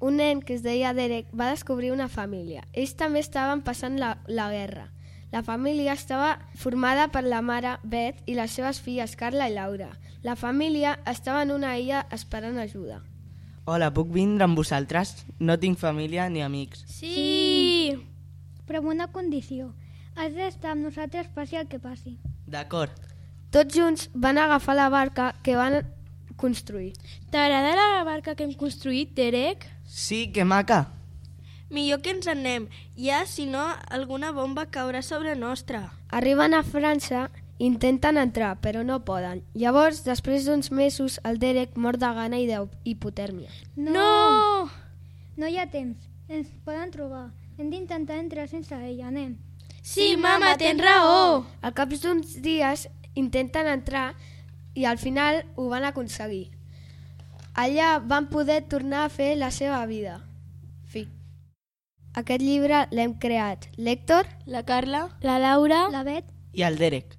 un nen que es deia Derek va descobrir una família. Ells també estaven passant la guerra. La família estava formada per la mare, Beth, i les seves filles, Carla i Laura. La família estava en una illa esperant ajuda. Hola, puc vindre amb vosaltres? No tinc família ni amics. Sí! Però amb una condició. Has d'estar amb nosaltres passi el que passi. D'acord. Tots junts van agafar la barca que van construir. T'agrada la barca que hem construït, Derek? Sí, que maca. Millor que ens anem. Ja, si no, alguna bomba caurà sobre nostra. Arriben a França, intenten entrar, però no poden. Llavors, després d'uns mesos, el Derek mor de gana i d'hipotèrmia. No! No hi ha temps. Ens poden trobar. Hem d'intentar entrar sense ella. Anem. Sí, mama, tens raó! Al cap d'uns dies intenten entrar i al final ho van aconseguir. Allà van poder tornar a fer la seva vida. Fi. Aquest llibre l'hem creat l'Héctor, La Carla? La Laura, la Bet I el Derek.